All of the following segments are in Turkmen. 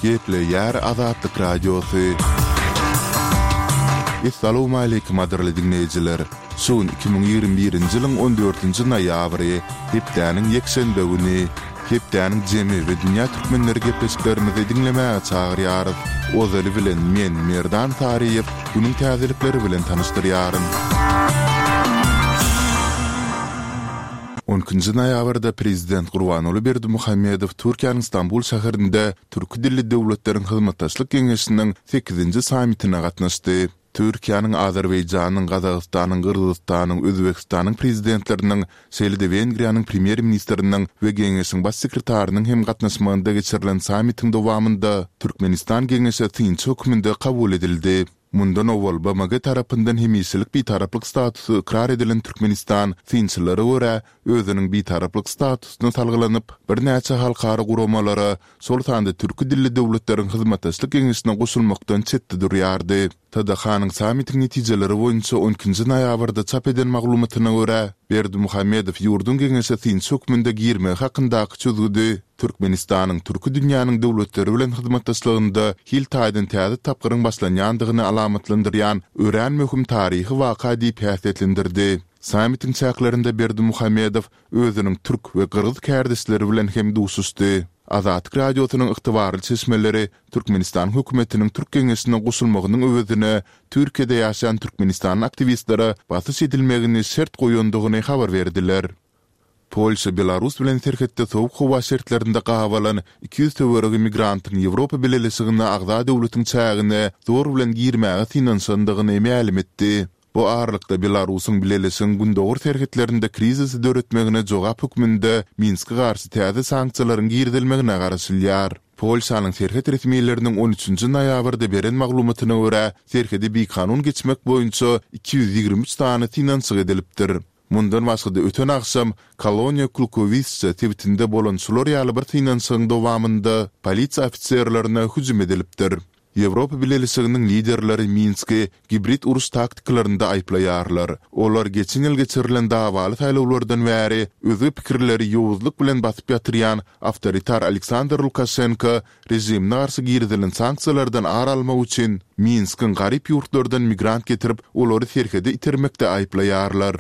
Gepleýär Azatlyk Radiosy. Essalawmaleýkim gadyrly diňleýjiler! Şu gün 2021-nji ýylyň on dördünji noýabry, hepdäniň ýekşenbe güni. Hepdäniň jemi we dünýä türkmenleri gepleşiklerimizi diňlemäge çagyrýarys. Ozaly bilen men, Merdan Saryýew, günüň täzelikleri bilen tanyşdyrýaryn. On ikinji noýabrda Prezident Gurbanguly Berdimuhamedow Türkiýäniň Stambul şäherinde Türki dilli döwletleriň hyzmatdaşlyk geňeşiniň sekizinji sammitine gatnaşdy. Türkiýäniň, Azerbaýjanyň, Gazagystanyň, Gyrgyzystanyň, Özbegistanyň Prezidentleriniň, şeýle-de Wengriýanyň Premýer-ministriniň we Geňeşiň Baş sekretarynyň hem gatnaşmagynda geçirilen sammitiň dowamynda Türkmenistan Geňeşe synçy hökmünde kabul edildi. Mundan owal BMG tarapyndan hemişelik bitaraplyk statusy ykrar edilen Türkmenistan synçylara görä, özüniň bitaraplyk statusyna salgylanyp, birnäçe halkara guramalara, şol sanda Türki dilli döwletleriň hyzmatdaşlyk geňeşine goşulmakdan çetde durýardy. TDH-nyň sammitiň netijeleri boýunça on ikinji noýabrda çap eden maglumatyna görä, Berdimuhamedow ýurduň geňeşe synçy hökmünde girmegi hakyndaky çözgüdi Türkmenistanyň türki dünýäniň döwletleri bilen hyzmatdaşlygynda hil taýdan täze tapgyryň başlanýandygyny alamatlandyrýan örän möhüm taryhy waka diýip häsiýetlendirdi. Sammitiň çäklerinde Berdimuhamedow özüniň türk we gyrgyz kärdeşleri bilen hem duşuşdy. Azatlyk Radiosynyň ygtybarly çeşmeleri Türkmenistanyň hökümetiniň Türk geňeşine goşulmagynyň öwezine Türkiýede ýaşaýan türkmenistanly aktiwistlere basyş edilmegini şert goýandygyny habar berdiler. Polşa Belarus bilen serhetde sowuk howa şertlerinde gabalan 200 töweregi migrantyň Ýewropa Bileleşigine agza döwletiň çägine zor bilen girmäge synanyşandygyny mälim etdi. Bu aralykda Belarusyň Bileleşigiň gündogar serhetlerinde krizisi döretmegine jogap hökmünde Minske garşy täze sanksiýalaryň girizilmegine garaşylýar. Polşanyň serhet resmileriniň on üçünji noýabrda beren maglumatyna görä, serhedi bikanun geçmek boýunça 223 sany synanyşyk edilipdir. Mundan başga-da öten agşam Koloniýa Klukowisça sebitinde bolan şular ýaly bir synanyşygyň dowamynda polisiýa ofiserlerine hüjüm edilipdir. Ýewropa Bileleşiginiň liderleri Minski gibrid uruş taktikalarynda aýyplaýarlar. Olar geçen ýyl geçirilen dawaly saýlawlardan bäri özge pikirleri ýowuzlyk bilen basyp ýatyrýan awtoritar Aleksandr Lukaşenko režimine garşy girizilen sanksiýalardan ar almak üçin Minskiň garyp ýurtlardan migrant getirip, olary serhede itermekde aýyplaýarlar.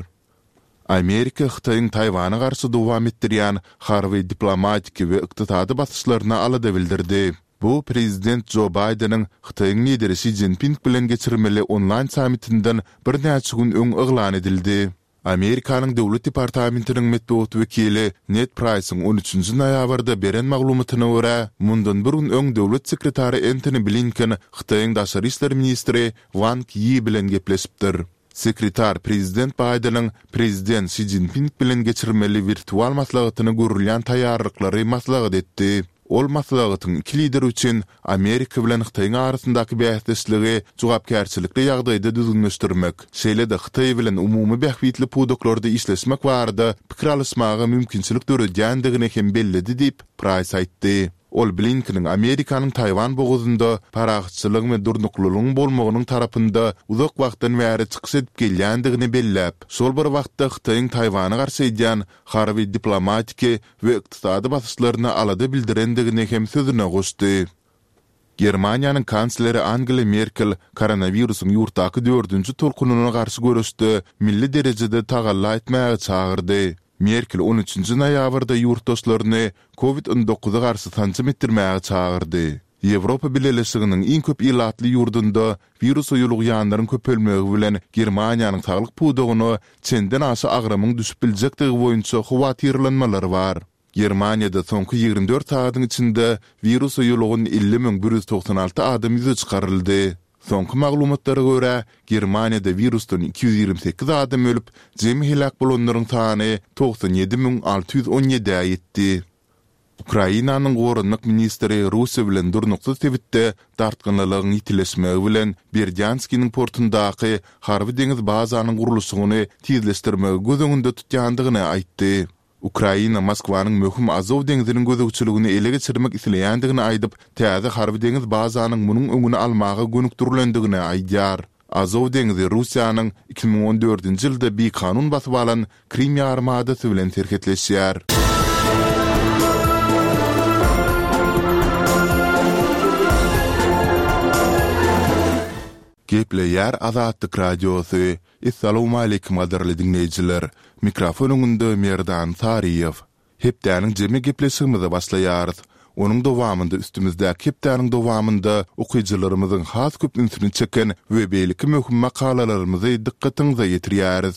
Amerika Hytaýyň Taýwana garşy dowam etdirýän harby, diplomatiki we ykdysady basyşlaryna alada bildirdi. Bu prezident Jo Baýdeniň Hytaýyň lideri Şi Szinping bilen geçirmeli onlaýn sammitinden birnäçe gün öň yglan edildi. Amerikanyň Döwlet departamentiniň metbugat wekili Ned Praýsyň on üçünji noýabrda beren maglumatyna görä, mundan bir gün öň döwlet sekretary Entoni Blinken Hytaýyň daşary işler ministri Wang Ýi bilen gepleşipdir. Sekretar prezident Baýdeniň prezident Şi Szinping bilen geçirmeli wirtual maslahatyna görülýän taýýarlyklary maslahat etdi. Ol maslahatyň iki lider üçin Amerika bilen Hytaýyň arasyndaky bäsdeşligi jogapkärçilikli ýagdaýda düzgünleşdirmek, şeýle-de Hytaý bilen umumy bähbitli pudaklarda işleşmek barada pikir alyşmaga mümkinçilik döredýändigini hem belledi diýip, Praýs aýtdy. Ol Blinkeniň Amerikanyň Taýwan bogazynda parahatçylygyň we durnuklylygyň bolmagynyň tarapynda uzak wagtdan bäri çykyş edip gelýändigini belläp, şol bir wagtda Hytaýyň Taýwana garşy edýän harby, diplomatiki we ykdysady basyşlaryna alada bildirendigini hem sözüne goşdy. Germaniýanyň kansleri Angela Merkel koronawirusyň ýurtdaky dördünji tolkunyna garşy göreşde milli derejede tagalla etmäge çagyrdy. Merkel on üçünji noýabrda ýurtdaşlaryny Covid on dokuza garşy sanjym etdirmäge çagyrdy. Ýewropa Bileleşiginiň iň köp ilatly ýurdunda wirusa ýolugýanlaryň köpelmegi bilen Germaniýanyň saglyk pudagyna çenden-aşa agramyň düşüp biljekdigi boýunça howatyrlanmalar bar. Germaniýada soňky 24 sagadyň içinde wirusa ýolugan 50 196 adam ýüze çykaryldy. Soňky maglumatlara görä, Germaniýada wirusdan 228 adam ölüp, jemi heläk bolanlaryň sany 97 617-ä ýetdi. Ukrainanyň goranmak ministri Russiýa bilen durnuksyz sebitde dartgynlylygyň ýitileşmegi bilen Berdýanskiniň portundaky harby-deňiz bazanyň gurluşygyny tizleşdirmegi göz öňünde tutýandygyny aýtdy. Ukraina Moskwanyň möhüm Azow deňziniň gözegçiligini ele geçirmek isleýändigini aýdyp, täze harby-deňiz bazanyň munuň öňüni almaga gönükdirilendigini aýdýar. Azow deňzi Russiýanyň 2014-nji ýylda bikanun basyp alan Krym ýarymadasy bilen serhetleşýär. Gepleýär Azatlyk Radiosy, Essalawmaleýkim gadyrly diňleýjiler! Mikrofon öňünde Merdan Saryýew. Hepdäniň jemi gepleşigimize başlaýarys. Onuň dowamynda üstümizdäki hepdäniň dowamynda okyjylarymyzyň has köp ünsüni çeken we beýleki möhüm makalalarymyzy dykgatyňyza ýetirýäris.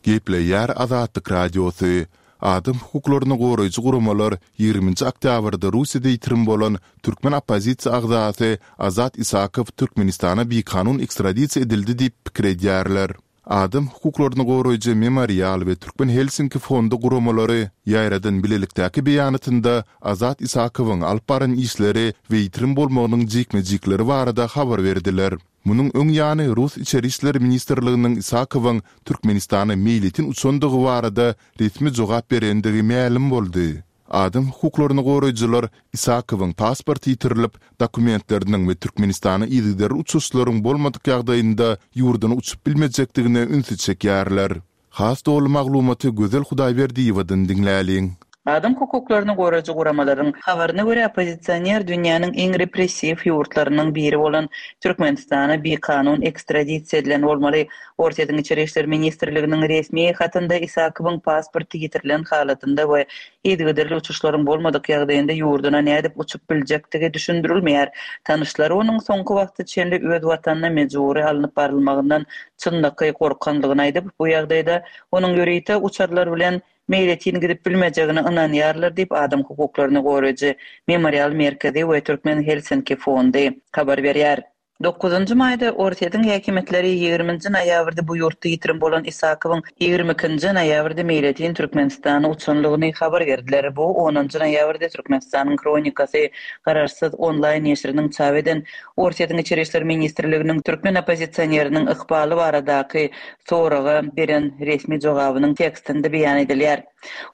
Gepleýär Azatlyk Radiosy, Adam hukuklaryny goraýjy guramalar ýigriminji oktýabrda Russiýada ýitirim bolan türkmen oppozisiýa agzasy Azat Isakow Türkmenistana bikanun ekstradisiýa edildi diýip pikir edýärler. Adam hukuklaryny goraýjy Memorial we Türkmen Helsinki fondy guramalary ýaýradan bilelikdäki beýanatynda Azat Isakowyň alyp baran işleri we ýitirim bolmagynyň jikme-jikleri barada habar berdiler. Munuň öň ýany rus Içeri işler ministrliginiň Isakowyň Türkmenistana meýletin uçandygy barada resmi jogap berendigi mälim boldy. Adam hukuklaryny goraýjylar Isakowyň pasporty ýitirilip, dokumentleriniň we Türkmenistana yzygiderli uçuşlaryň bolmadyk ýagdaýynda ýurduna uçup bilmejekdigine ünsi çekýärler. Has doly maglumaty Gözel Hudaýberdiýewadan diňläliň. Adam hukuklaryny goraýjy guramalaryň habaryna görä, oppozisioner dünýäniň iň repressiw ýurtlarynyň biri bolan Türkmenistana bikanun ekstradisiýa edilen bolmaly. Orsýetiň Içeri işler ministrliginiň resmi hatynda Isakowyň pasporty ýitirilen halatynda we yzygiderli uçuşlaryň bolmadyk ýagdaýynda ýurduna nädip uçup biljekdigi düşündirilmeýär. Tanyşlary onuň soňky wagta çenli öz watanyna mejbury alnyp barylmagyndan çynlakaý gorkandygyny aýdyp, bu ýagdaýda onuň ýörite uçarlar bilen meýletin gidip bilmejegine ynanýarlar diýip, adam hukuklaryny goraýjy Memorial merkezi we Türkmen Helsinki fondy habar berýär. Dokuzynjy maýda Orsýetiň häkimiýetleri ýigriminji noýabrda bu ýurtda ýitirim bolan Isakowyň 22 nji noýabrda meýletin Türkmenistana uçanlygyny habar berdiler. Bu onunjy noýabrda Türkmenistanyň Hronikasy garaşsyz onlaýn neşiriniň çap eden Orsýetiň Içeri işler ministrliginiň türkmen oppozisioneriniň ykbaly baradaky soraga beren resmi jogabynyň tekstinde beýan edilýär.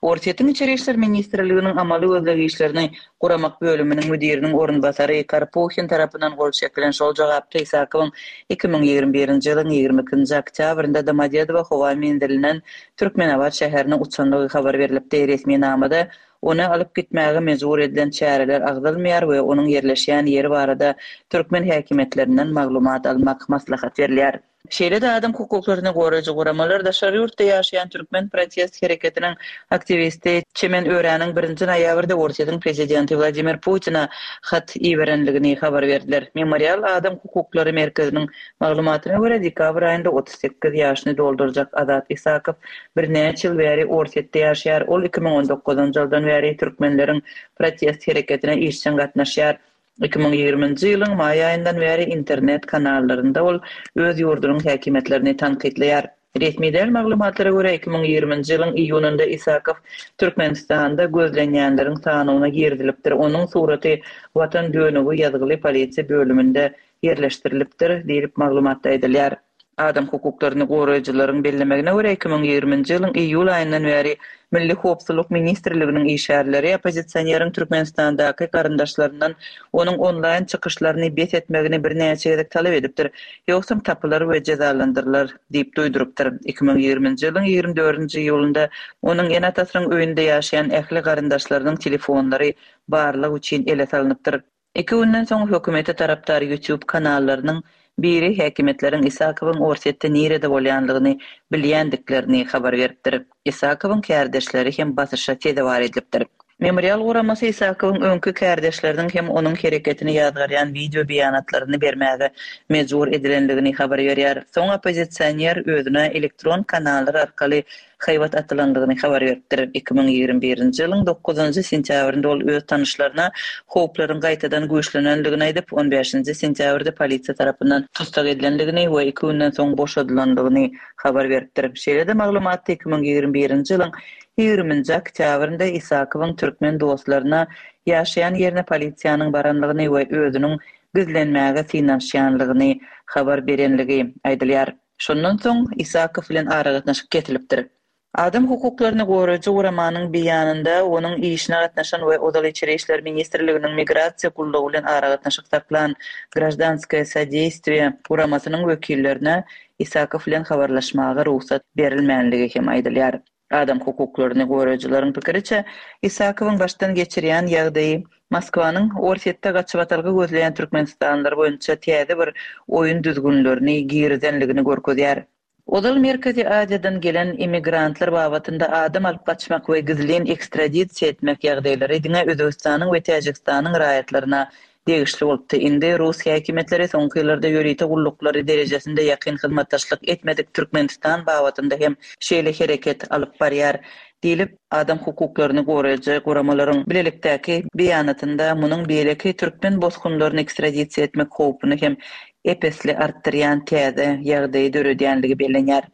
Orsýetiň Içeri işler ministrliginiň amaly gözleg işlerini guramak bölüminiň müdiriniň orunbasary Karpuhin tarapyndan gol çekilen şol jogapda Isakowyň 2021-nji ýylyň 22-nji oktýabrynda Domodedowo howa menzilinden Türkmenabat şäherine uçandygy habar berlipdi. Resminamada ony alyp gitmäge mejbur edilen çäreler agzalmaýar we onuň ýerleşýän ýeri barada türkmen häkimiýetlerinden maglumat almak maslahat berilýär. Şeýle-de adam hukuklaryny goraýjy guramalar daşary ýurtda ýaşaýan türkmen protest hereketiniň aktiwisti Çemen Öräniň birinji noýabrda Orsýetiň prezidenti Wladimir Putine hat iberenligini habar berdiler. Memorial adam hukuklary merkeziniň maglumatyna görä, dekabr aýynda 38 ýaşyny doldurjak Azat Isakow birnäçe ýyl bäri Orsýetde ýaşaýar. Ol 2019-njy ýyldan bäri türkmenleriň protest hereketine işjeň gatnaşýar. 2020-nji ýylyň maý aýyndan bäri internet kanallarynda ol öz ýurdunyň häkimiýetlerini tankytlaýar. Resmi däl maglumatlara görä, 2020-nji ýylyň iýunynda Isakow Türkmenistanda gözlenýänleriň sanawyna girizilipdir, onuň suraty Watan dönügi ýazgyly polisiýa bölüminde ýerleşdirilipdir diýlip, maglumatda aýdylýar. Adam hukuklaryny goraýjylaryň bellemegine görä, 2020-nji ýylyň iýul aýyndan bäri Milli howpsuzlyk ministrliginiň işgärleri oppozisioneriň Türkmenistandaky garyndaşlaryndan onuň onlaýn çykyşlaryny bes etmegini birnäçe gezek talap edipdir, ýogsam tapylar we jezalandyrylar diýip duýdurypdyr. 2020-nji ýylyň 24-nji iýulynda onuň ene-atasynyň öýünde ýaşaýan ähli garyndaşlarynyň telefonlary barlag üçin ele salnypdyr. Iki günden soň hökümete tarapdar YouTube kanallarynyň biri häkimiýetleriň Isakowyň Orsýetde nirede bolýanlygyny bilýändiklerini habar beripdir. Isakowyň kärdeşleri hem basyşa sezewar edilipdir. Memorial guramasy Isakowyň öňki kärdeşleriniň hem onuň hereketini ýazgarýan wideo beýanatlaryny bermäge mejbur edilenligini habar berýär. Soň oppozisioner özüne elektron kanallar arkaly haýbat atylandygyny habar beripdir. 2021-nji ýylyň dokuzynjy sentýabrynda ol öz tanyşlaryna howplaryň gaýtadan güýçlenendigini aýdyp, on bäşinji sentýabrda polisiýa tarapyndan tussag edilendigini we iki günden soň boşadylandygyny habar beripdir. Şeýle-de maglumatda 2021-nji ýylyň ýigriminji oktýabrynda Isakowyň türkmen dostlaryna ýaşaýan ýerine polisiýanyň baranlygyny we özüniň gizlenmäge synanyşýanlygyny habar berenligi aýdylýar. Şondan soň Isakow bilen aragatnaşyk kesilipdir. Adam hukuklaryny goraýjy guramanyň beýanynda onuň işine gatnaşan we ozal Içeri işler ministrliginiň Migrasiýa gullugy bilen aragatnaşyk saklan Graždanskoýe sodeýstwiýe guramasynyň wekillerine Isakow bilen habarlaşmaga rugsat berilmänligi hem aýdylýar. Adam hukuklaryny goraýjylaryň pikiriçe, Isakowyň başdan geçirýän ýagdaýy Moskwanyň Orsýetde gaçybatalga gözleýän türkmenistanlylar boýunça täze bir oýun düzgünlerini girizenligini görkezýär. Ozal Merkezi Aziýadan gelen immigrantlar babatynda adam alyp gaçmak we gizlin ekstradisiýa etmek ýagdaýlary diňe Özbegistanyň we Täjigistanyň raýatlaryna degişli bolupdy. Indi rus häkimiýetleri soňky ýyllarda ýörite gulluklary derejesinde ýakyn hyzmatdaşlyk etmedik Türkmenistan babatynda hem şeýle hereket alyp barýar diýlip, adam hukuklaryny goraýjy guramalaryň bilelikdäki beýanatynda munuň beýleki türkmen bosgunlaryny ekstradisiýa etmek howpuny hem ep-esli artdyrýan täze ýagdaýy döredýänligi bellenýär.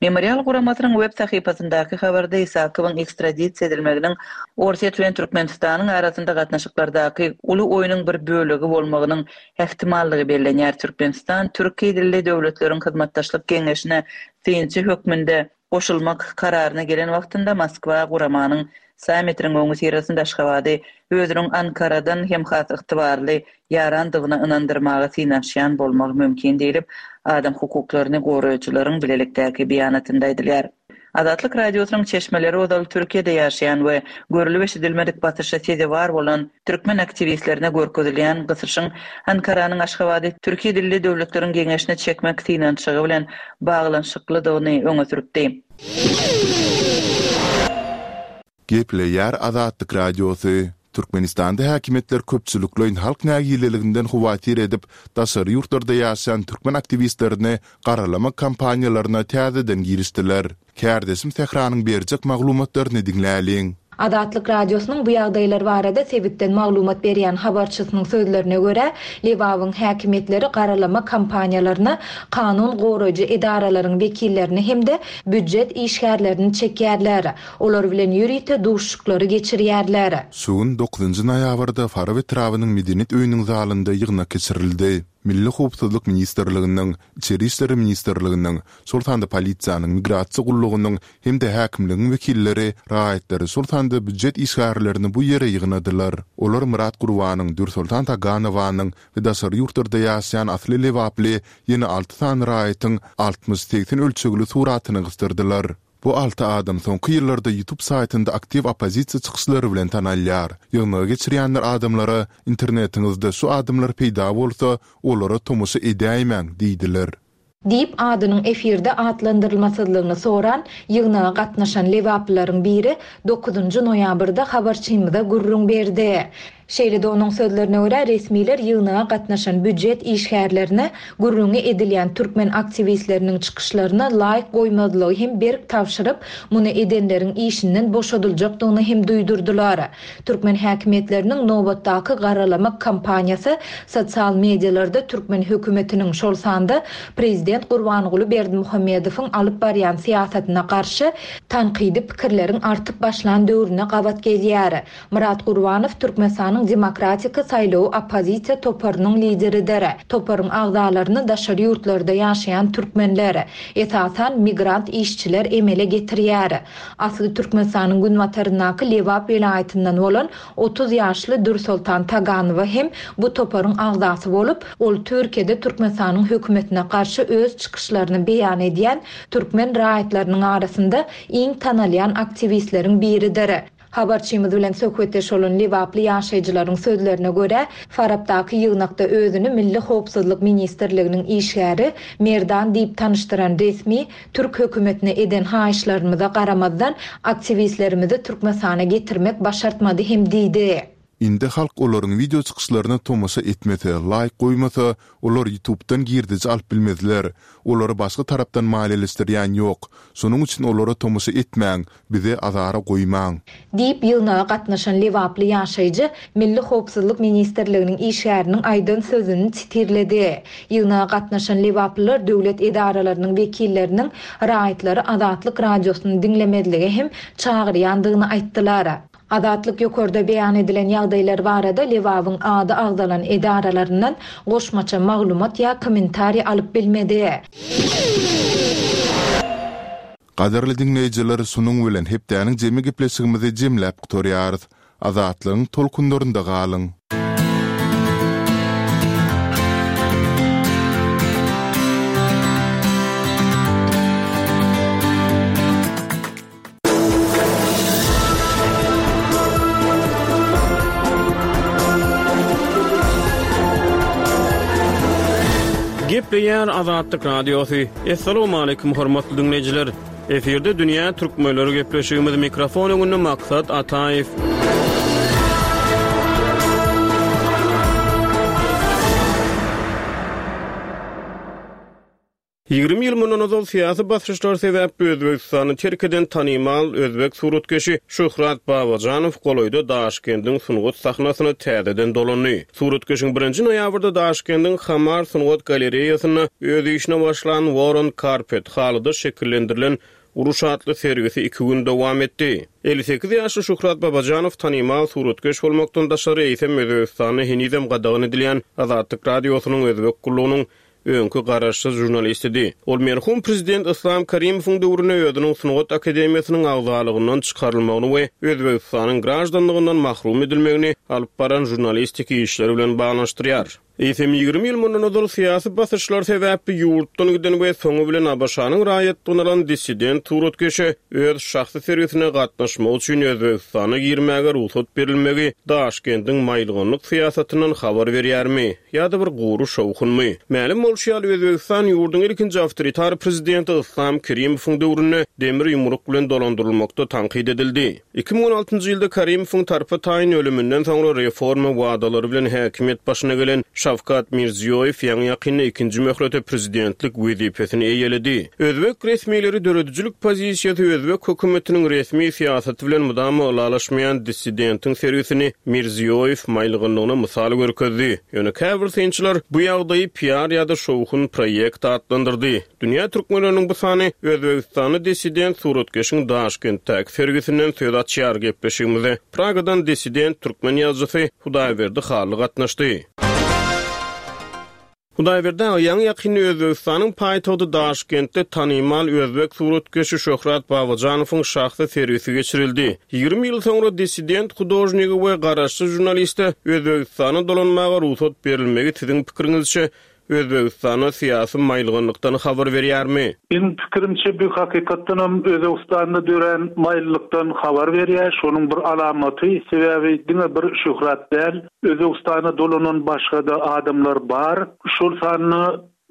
Memorial guramasynyň web sahypasyndaky habarda Isakowyň ekstradisiýa edilmeginiň Orsýet bilen Türkmenistanyň arasynda gatnaşyklardaky uly oýnuň bir bölegi bolmagynyň ähtimallygy bellenýär. Türkmenistan Türki dilli döwletleriň hyzmatdaşlyk geňeşine synçy hökmünde goşulmak kararyna gelen wagtynda Moskwa guramanyň sammitiniň öňüsyrasynda Aşgabady özüniň Ankaradan hem has ygtybarly ýarandygyna ynandyrmaga synanyşýan bolmagy mümkin diýlip, adam hukuklaryny goraýjylaryň bilelikdäki beýanatynda aýdylýar. Azatlyk Radiosynyň çeşmeleri ozal Türkiýede ýaşaýan we görlüp-eşidilmedik basyşa sezewar bolan türkmen aktiwistlerine görkezilýän gysyşyň Ankaranyň Aşgabady Türki dilli döwletleriň geňeşine çekmek synanyşygy bilen baglanyşyklydygyny öňe sürüpdi. Gepleýär Azatlyk Radiosy, Türkmenistanda häkimiýetler köpçülikleýin halk nägileliginden howatyr edip, daşary ýurtlarda ýaşaýan türkmen aktiwistlerini garalamak kampaniýalaryna täzeden girişdiler. Kärdeşim Sähranyň berjek maglumatlaryny diňläliň. Azatlyk Radiosynyň bu ýagdaýlar barada sebitden maglumat berýän habarçysynyň sözlerine görä, Lebabyň häkimiýetleri garalama kampaniýalaryna kanun goraýjy edaralaryň wekillerini hem-de býujet işgärlerini çekýärler. Olar bilen ýörite duşuşyklary geçirýärler. Şu gün, dokuzynjy noýabrda Farap etrabynyň Medeniýet öýüniň zalynda ýygnak geçirildi. Milli howpsuzlyk ministrliginiň, Içeri işler ministrliginiň, şol sanda polisiýanyň, migrasiýa gullugynyň hem-de häkimligiň wekilleri raýatlary, şol sanda býujet işgärlerini bu ýere ýygnadylar. Olar Myrat Gurbanyň, Dürsoltan Taganowanyň we daşary ýurtlarda ýaşaýan asly lebaply ýene alty sany raýatyň 60, 80 ölçegli suratyny gysdyrdylar. Bu alty adam soňky ýyllarda YouTube saýtynda aktiw oppozisiýa çykyşlary bilen tanalýar. Ýygnagy geçirýänler adamlara, Internetiňizde şu adamlar peýda bolsa, olara tomaşa edäýmäň diýdiler. Diýip, adynyň efirde atlandyrylmasyzlygyny soran, ýygnaga gatnaşan lebaplylaryň biri dokuzynjy noýabrda habarçymyza gürrüň berdi. Şeýle-de onuň sözlerine görä, resmiler ýygnaga gatnaşan býujet işgärlerine gürrüňi edilýän türkmen aktiwistleriniň çykyşlaryna laýk goýmazlygy hem berk tabşyryp, muny edenleriň işinden boşadyljakdygyny hem duýdurdylar. Türkmen häkimiýetleriniň nobatdaky garalamak kampaniýasy sosial medialarda türkmen hökümetiniň, şol sanda prezident Gurbanguly Berdimuhamedowyň alyp barýan syýasatyna garşy tankydy pikirleriň artyp başlan döwrüne gabat gelýär. Myrat Gurbanow Türkmenistanyň Demokratik saýlawy oppozisiýa toparynyň lideridir. Toparyň agzalaryny daşary ýurtlarda ýaşaýan türkmenler, esasan, migrant işçiler emele getirýär. Asly Türkmenistanyň günbataryndaky Lebap welaýatyndan bolan 30 ýaşly Dürsoltan Taganowa hem bu toparyň agzasy bolup, ol Türkiýede Türkmenistanyň hökümetine garşy öz çykyşlaryny beýan edýän türkmen raýatlarynyň arasynda iň tanalýan aktiwistleriň biridir. Habarçymyz bilen söhbetdeş bolan lebaply ýaşaýjylaryň sözlerine görä, Farapdaky ýygnakda özüni Milli howpsuzlyk ministrliginiň işgäri Merdan diýip tanyşdyran resmi türk hökümetine eden haýyşlarymyza garamazdan, aktiwistlerimizi Türkmenistana getirmek başartmady hem diýdi. Indi halk olaryň wideo çykyşlaryna tomaşa etmese, laýk goýmasa, olar ýutubdan girdeji alyp bilmezler. Olary başga tarapdan maliýeleşdirýän ýok. Şonuň üçin olara tomaşa etmäň, bizi azara goýmaň. Diýip, ýygnaga gatnaşan lebaply ýaşaýjy Milli howpsuzlyk ministrliginiň işgäriniň aýdan sözüni sitirledi. Ýygnaga gatnaşan lebaplylar döwlet edaralarynyň wekilleriniň raýatlary Azatlyk Radiosyny diňlemezlige hem çagyrýandygyny aýtdylar. Azatlyk ýokarda beýan edilen ýagdaýlar barada Lebabyň ady agzalan edaralaryndan goşmaça maglumat ýa kommentariý alyp bilmedi. Gadyrly diňleýjiler şunuň bilen hepdäniň jemi gepleşigimizi jemläp gutarýarys. Azatlygyň tolkunlarynda galyň! Gepleýär Azatlyk Radiosy. Assalamualaikum hormatly diňleýjiler. Efirde dünýä türkmenleri gepleşigimiz mikrofon öňünde Maksat Ataýew. 20 ýyl mundan ozal syýasy basyşlar sebäpli Özbegistany terk eden tanymal özbek suratkeşi Şöhrat Babajanow golaýda Daşkendiň sungat sahnasyna täzeden dolandy. Suratkeşiň birinji noýabrda Daşkendiň Hamar sungat galereýasynda öz işine başlan War on Carpet, halyda şekillendirilen uruş atly sergisi iki gün dowam etdi. 58 ýaşly Şöhrat Babajanow tanymal suratkeş bolmakdan daşary, eýsem Özbegistanda henizem gadagan edilýän Azatlyk Radiosynyň Özbek gullugynyň öňki garaşsyz žurnalistidi. Ol merhum prezident Yslam Karimowyň döwründe özüniň Sungat akademiýasynyň agzalygyndan çykarylmagyny we Özbegistanyň graždanlygyndan mahrum edilmegini alyp baran žurnalistiki işleri bilen baglanyşdyrýar. Eýsem, 20 ýyl mundan ozal syýasy basyşlar sebäpli ýurtdan giden we soňy bilen ABŞ-nyň raýatlygyny alan dissident suratkeşe öz şahsy sergisine gatnaşmak üçin Özbegistana girmäge rugsat berilmegi Daşkendiň maýylganlyk syýasatyndan habar berýärmi? Ýa-da bir gury şowhunmy? Mälim bolşy ýaly, Özbegistan ýurduň ilkinji awtoritar prezidenti Yslam Kerimowyň döwründe demir ýumruk bilen dolandyrylmakda tankyt edildi. 2016-njy ýylda Karimowyň tarpa-taýyn ölüminden soňra reforma wadalary bilen häkimiýet başyna gelen Şawkat Mirziýoýew ýaňy-ýakynda ikinji möhlete prezidentlik wezipesini eýeledi. Özbek resmileri döredijilik pozisiýasy özbek hökümetiniň resmi syýasaty bilen mydama ylalaşmaýan dissidentiň sergisini Mirziýoýew maýylgynlygyna mysal görkezdi. Ýöne käbir synçylar bu ýagdaýy piar ýa-da şowhun proýekt atlandyrdy. Dünýä türkmenleriniň bu sany özbegistanly dissident suratkeşiň Daşkentdäki sergisinden söz açýar. Gepleşigimize Pragadan dissident türkmen ýazyjysy Hudaýberdi Hally gatnaşdy. Hudaýberdi aga, ýaňy-ýakynda Özbegistanyň paýtagty Daşkentde tanymal özbek suratkeşi Şöhrat Babajanowyň şahsy sergisi geçirildi. 20 ýyl soňra dissident hudožnige we garaşsyz žurnaliste Özbegistana dolanmaga rugsat berilmegi siziň pikiriňizçe Özbegistanda syýasy maýylganlykdan habar berýärmi? Meniň pikirimçe bu hakykatdanam Özbegistanda dörän maýyllykdan habar berýär, şonuň bir alamaty, sebäbi diňe bir Şöhrat däl, Özbegistana dolanan başga-da adamlar bar, şol sanda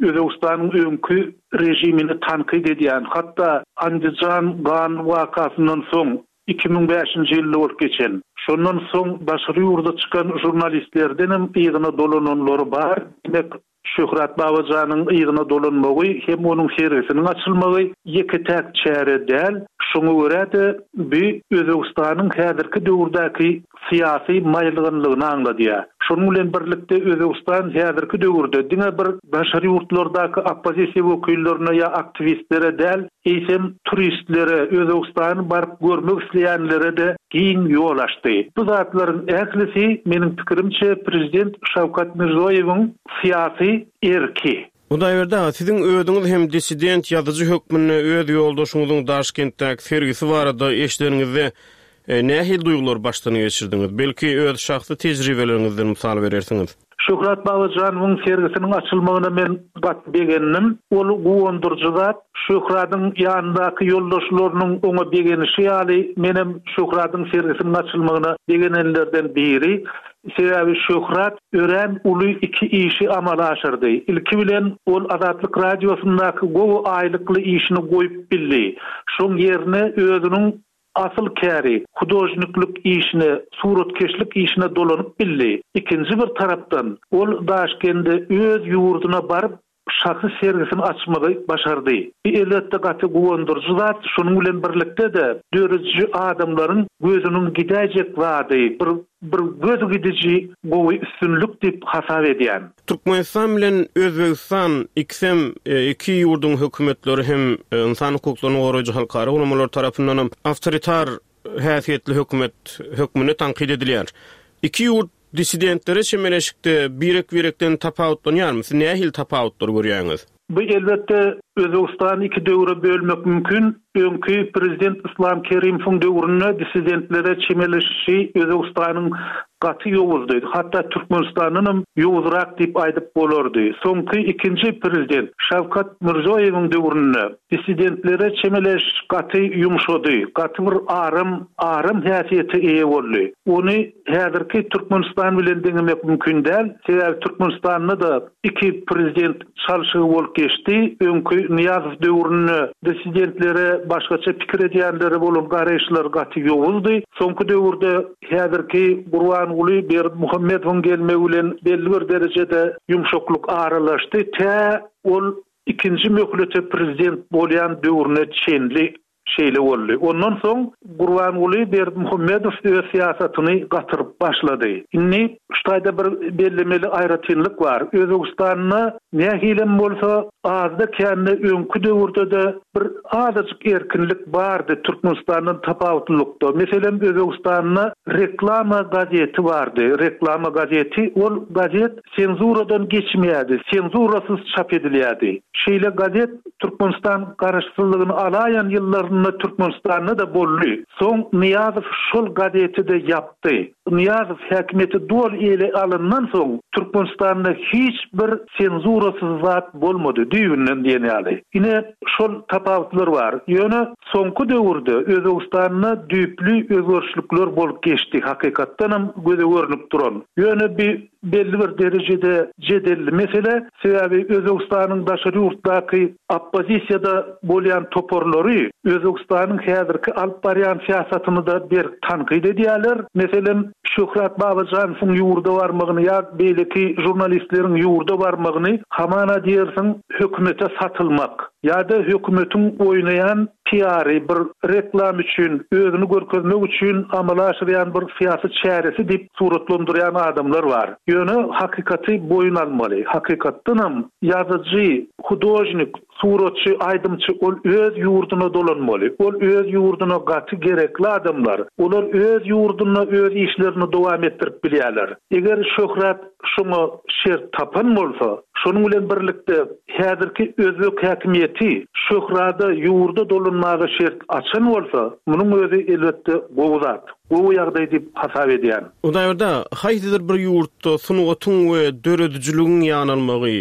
Özbegistanyň öňki režimini tankyt edýän, hatda Andijan gan wakasyndan soň, 2005-nji ýylda bolup geçen, şondan soň daşary ýurda çykan žurnalistlerdenem yzyna dolananlary bar, diýmek, Şöhrat Babajanyň yzyna dolanmagy hem onuň sergisiniň açylmagy ýeke-täk çäre däl, şoňa görä-de bu Özbegistanyň häzirki döwürdäki syýasy maýylganlygyny aňladýar. Şonuň bilen birlikde Özbegistan häzirki döwürde diňe bir daşary ýurtlardaky oppozisiýa wekillerine ýa aktiwistlere däl, eýsem turistlere, Özbegistany baryp görmek isleýänlere-de giň ýol açdy. Bu zatlaryň ählisi, meniň pikirimçe, prezident Şawkat Mirzoýewiň syýasy erki. Hudaýberdi aga, siziň özüňiz hem dissident ýazyjy hökmünde öz ýoldaşyňyzyň Daşkentdäki sergisi barada eşideniňizde nähili duýgulary başdan geçirdiňiz? Belki, öz şahsy tejribeleriňizden mysal berersiňiz? Şöhrat Babajanowyň sergisiniň açylmagyna men gaty begendim. Ol guwandyryjy zat. Şöhradyň ýanyndaky ýoldaşlarynyň oňa begenişi ýaly, menem Şöhradyň sergisiniň açylmagyna begenenlerden biri. Sebäbi Şöhrat örän uly iki işi amala aşyrdy. Ilki bilen, ol Azatlyk Radiosyndaky gowy aýlykly işini goýup bildi. Şoň ýerine özüniň asyl käri, hudožniklik işine, suratkeşlik işine dolanyp bildi. Ikinji bir tarapdan, ol Daşkende öz ýurduna baryp, şahsy sergisini açmagy başardy. Bu elbetde gaty guwandyryjy zat, şonuň bilen birlikde-de dörediji adamlaryň gözüniň gidäýjek zady, bir bir göz gidiji gowy üstünlik diýip hasap edýän. Türkmenistan bilen Özbegistan ikisem iki ýurduň hökümetleri hem ynsan hukuklaryny goraýjy halkara guramalar tarapyndanam awtoritar häsiýetli hökümet hökmünde tankyt edilýär. Iki ýurt Dissidentlere çemeleşikde birek-birekden tapawutlanýarmy? Siz nähili tapawutlary görýäňiz? Bu elbetde. Özbegistany iki döwre bölmek mümkin. Öňki prezident Yslam Kerimowyň döwründe dissidentlere çemeleşişi Özbegistanyň gaty ýowuzdy. Hatda Türkmenistandanam ýowuzrak diýip aýdyp bolardy. Soňky ikinji prezident Şawkat Mirzoýewiň döwründe dissidentlere çemeleşiş gaty ýumşady, gaty bir aram, aram häsiýete eýe boldy. Ony häzirki Türkmenistan bilen deňemek mümkin däl, sebäbi Türkmenistanda-da iki prezident çalşygy bolup geçdi. Öňki Nyýazow döwründe dissidentlere, başgaça pikir edýänlere bolan garaýyşlar gaty ýowuzdy. Soňky döwürde häzirki Gurbanguly Berdimuhamedowyň gelmegi bilen belli bir derejede ýumşaklyk aralaşdy. Tä ol ikinji möhlete prezident bolýan döwrüne çenli Şeýle boldy. Ondan soň Gurbanguly Berdimuhamedow öz syýasatyny gatyryp başlady. Indi şu taýda bir bellemeli aýratynlyk bar. Özbegistanda nähilem bolsa azda-kände öňki döwürde-de bir azajyk erkinlik bardy Türkmenistandan tapawutlylykda. Meselem, Özbegistanda Reklama gazeti bardy. Reklama gazeti. Ol gazet senzuradan geçmeýärdi, senzurasyz çap edilýärdi. Şeýle gazet Türkmenistan garaşsyzlygyny alaýan ýyllarynda Türkmenistanda-da boldy. Soň Nyýazow şol gazeti-de ýapdy. Nyýazow häkimiýeti doly ele alandan soň Türkmenistanda hiç bir senzurasyz zat bolmady, düýbünden diýen ýaly. Ine, şol tapawutlar bar. Ýöne soňky döwürde Özbegistanda düýpli özgerişlikler bolup geçdi, hakykatdanam göze görnüp duran. Ýöne bi belli bir derejede jedelli mesele, sebäbi Özbegistanyň daşary ýurtdaky oppozisiýada bolýan toparlary Özbegistanyň häzirki alyp barýan syýasatyny-da berk tankyt edýärler. Meselem, Şöhrat Babajanowyň ýurda barmagyny ýa beýleki žurnalistleriň ýurda barmagyny hamana diýersiň hökümete satylmak ýa-da hökümetiň oýnaýan piary, bir reklam üçin, özüni görkezmek üçin amala aşyrýan bir syýasy çäresi diýip suratlandyrýan adamlar bar. Ýöne hakykaty boýun almaly. Hakykatdanam ýazyjy, hudožnik, suratçy, aýdymçy ol öz ýurduna dolanmaly. Ol öz ýurduna gaty gerekli adamlar. Olar öz ýurdunda öz işlerini dowam etdirip bilýärler. Eger Şöhrat şoňa şert tapan bolsa, şonuň bilen birlikde häzirki özbek häkimiýeti Şöhrada ýurda dolanmaga şert açan bolsa, munuň özi elbetde gowy zat, gowy ýagdaý diýip hasap edýän. Hudaýberdi, haýsydyr bir ýurtda sungatyň we döredijiligiň ýanalmagy,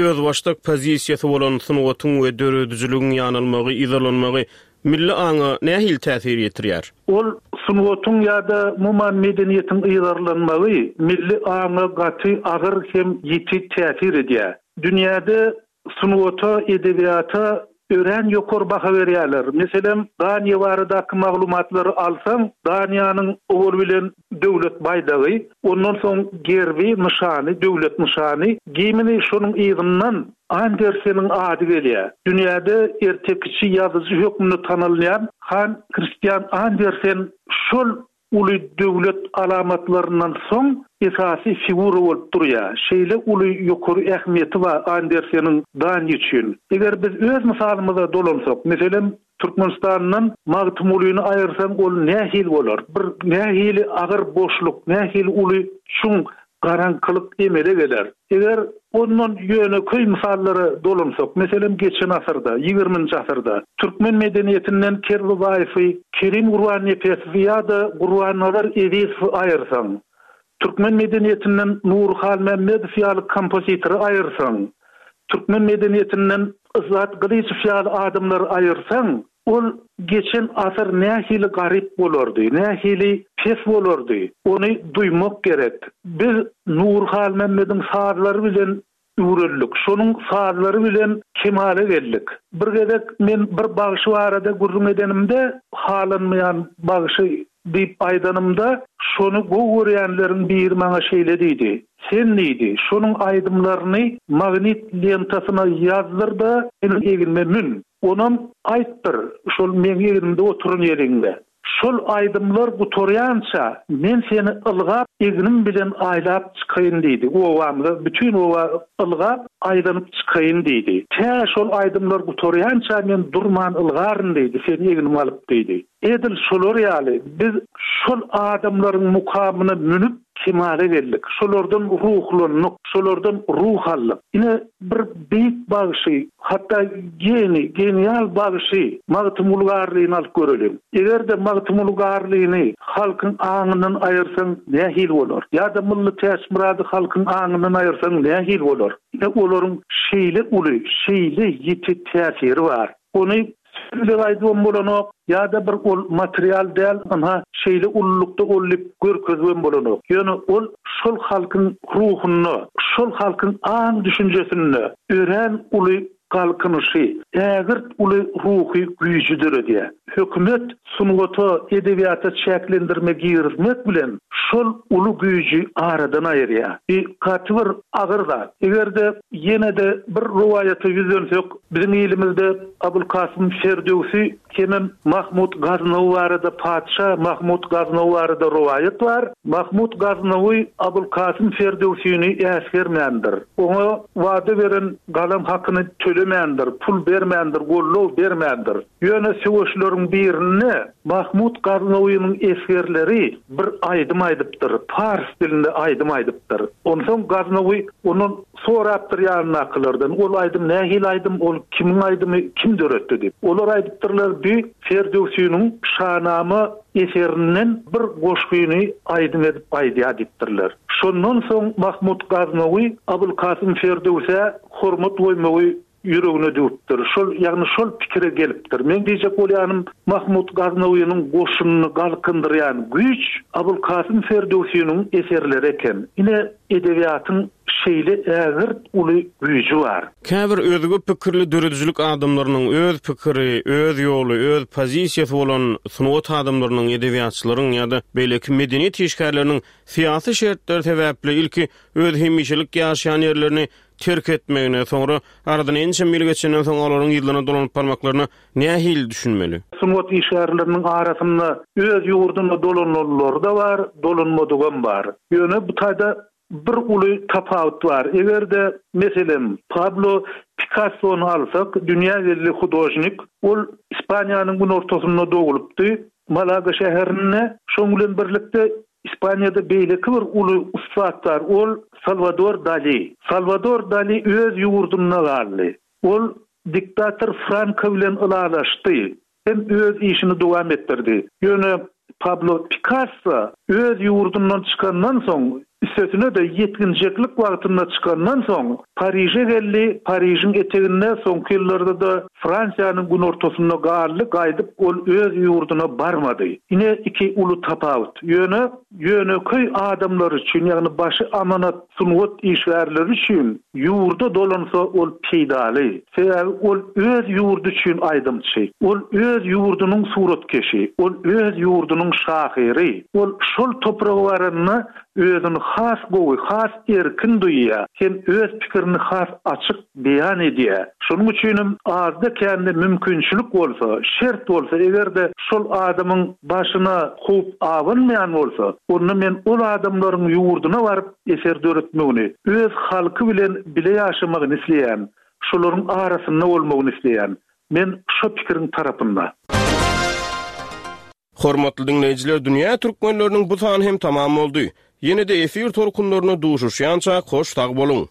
özbaşdak pozisiýasy bolan sungatyň we döredijiligiň ýanalmagy, yzarlanmagy Milli aňa nähili täsir ýetirýär? Ol sungatyň ýa-da umuman medeniýetiň yzarlanmagy milli aňa gaty agyr hem ýiti täsir edýär. Dünýäde sungata, edebiýata örän ýokary baha berýärler. Meselem, Daniýa baradaky maglumatlary alsaň, Daniýanyň owal bilen döwlet baýdagy, ondan soň gerbi, nyşany, döwlet nyşany, gimni, şonuň yzyndan Anderseniň ady gelýär. Dünýäde ertekiçi ýazyjy hökmünde tanalýan Han Kristian Andersen şol uly döwlet alamatlaryndan soň esasy figura bolup durýar. Şeýle uly ýokary ähmiýeti bar Anderseniň Daniýa üçin. Eger biz öz mysalymyza dolansak, meselem, Türkmenistandan Magtymgulyny aýyrsaň ol nähili bolar? Bir nähili agyr boşluk, nähili uly çuň garaňkylyk emele geler. Eger ondan ýönekeý mysallara dolansak, meselem, geçen asyrda, ýigriminji asyrda türkmen medeniýetinden Kerbabaýewi, Kerim Gurbannepesowy ýa-da Gurbannazar Ezizowy aýyrsaň, türkmen medeniýetinden Nury Halmämmedow ýaly kompozitory aýyrsaň, türkmen medeniýetinden Yzzat Gylyjow ýaly adamlary aýyrsaň, Ol geçen asyr nähili garyp bolardy, nähili pes bolardy, ony duýmak gerek. Biz Nury Halmämmediň sazlary bilen üwreldik, şonuň sazlary bilen kemala geldik. Bir gezek men bir bagşy barada gürrüň edenimde, halanmaýan bagşy diýip aýdanymda, şony gowy görýänleriň biri maňa şeýle diýdi, Sen diýdi, şonuň aýdymlaryny magnit lentasyna ýazdyr-da, meniň egnime mün. Onam aýtdyr, şol meň egnimde oturan ýeriňde. Şol aýdymlar gutarýança, men seni ylgap, egnim bilen aýlap çykaýyn diýdi. Obamyza, bütin oba ylgap, aýlanyp çykaýyn diýdi. Tä şol aýdymlar gutarýança men durman ylgaryn diýdi, seni egnime alyp diýdi. Edil şolar ýaly, biz şol adamlaryň mukamyna münüp. kemala geldik, şolardan ruhlandyk, şolardan ruh aldyk. Ine, bir beýik bagşy, hatda geniý, genial bagşy Magtymguly Garlyny alyp göreliň. Eger-de Magtymguly Garlyny halkyň aňyndan aýyrsaň nähili bolar? Ýa-da Mylly Täçmyrady halkyň aňyndan aýyrsaň nähili bolar? Ine, olaryň şeýle uly, şeýle ýiti täsiri bar. Ony söz bilen aýdybam bolanok, ýa-da bir ol material däl, ynha, şeýle ululykda ol diýip görkezibem bolanok. Ýöne ol şol halkyň ruhunda, şol halkyň aň-düşünjesinde örän uly galkynyşy, ägirt uly ruhy güýji döredýär. Hökümet sungata, edebiýata çäklendirme girizmek bilen şol uly güýji aradan aýyrýar. Bu gaty bir agyr zat. Eger-de ýene-de bir rowaýata ýüzlensek, Biziň ilimizde Abulkasym Ferdöwsi hemem Mahmut Gaznawy barada patyşa Mahmut Gaznawy barada rowaýat bar. Mahmut Gaznawy Abulkasym Ferdöwsini äsgermändir. Oňa wada beren galam hakyny tölemändir, pul bermändir, goldaw bermändir. Ýöne söweşleriň birinde Mahmut Gaznawynyň esgerleri bir aýdym aýdypdyr, pars dilinde aýdym aýdypdyr. Onsoň Gaznawy ondan Sorapdyr ýanyndakylardan, ol aýdym nähili aýdym, ol kimiň aýdymy, kim döretdi diýip. Olar aýdypdyrlar, bi Ferdöwsiniň Şanama eserinden bir goşgyny aýdym edip aýdýar diýipdirler. Şondan soň Mahmut Gaznawy Abulkasym Ferdöwsä hormat goýmagy ýüregine düwüpdir. Şol, ýagny şol pikire gelipdir. Meň diýjek bolýanym, Mahmut Gaznawynyň goşunyny galkyndyrýan güýç Abulkasym Ferdöwsiniň eserleri eken. Ine, edebiýatyň şeýle ägirt uly güýji bar. Käbir özge pikirli döredijilik adamlarynyň, öz pikiri, öz ýoly, öz pozisiýasy bolan sungat adamlarynyň, edebiýatçylaryň ýa-da beýleki medeniýet işgärleriniň syýasy şertler sebäpli ilki öz hemişelik ýaşaýan ýerlerini terk etmegine, soňra aradan ençeme ýyl geçenden soň olaryň yzlaryna dolanyp barmaklaryna nähili düşünmeli? Sungat işgärleriniň arasynda öz ýurduna dolananlary-da bar, dolanmadygam bar. Ýöne bu taýda bir uly tapawut bar. Eger-de, meselem, Pablo Pikassony alsak, dünýä belli hudožnik, ol Ispaniýanyň günortasynda dogulypdy, Malaga şäherinde. Şonuň bilen birlikde Ispaniýada beýleki bir uly ussat bar, ol Salwador Dali. Salwador Dali öz ýurdunda galdy. Ol diktator Franko bilen ylalaşdy hem öz işini dowam etdirdi. Ýöne Pablo Pikasso öz ýurdundan çykandan soň, üstesine-de ýetginjeklik wagtynda çykandan soň, Pariže geldi, Parižiň eteginde, soňky ýyllarda-da Fransiýanyň günortasynda galdy, gaýdyp ol öz ýurduna barmady. Ine iki uly tapawut. Ýöne ýönekeý adamlar üçin, ýagny başy amanat sungat işgärleri üçin ýurda dolansa ol peýdaly. Sebäbi ol öz ýurdy üçin aýdymçy. Ol öz ýurdunyň suratkeşi. Ol öz ýurdunyň şahyry. Ol şol topraga baranda özüni has gowy, has erkin duýýar hem öz pikirini has açyk beýan edýär. Şonuň üçinem azda-kände mümkinçilik bolsa, şert bolsa, eger-de şol adamyň başyna howp abanmaýan bolsa, onda men ol adamlaryň ýurduna baryp eser döretmegini, öz halky bilen bile ýaşamagyny isleýän, şolaryň arasynda bolmagyny isleýän. Men şo pikiriň tarapynda. Hormatly diňleýjiler Dünýä Türkmenleriniň bu sany hem tamam boldy. Ýene-de efir tolkunlarynda duşuşýançak hoş sag boluň.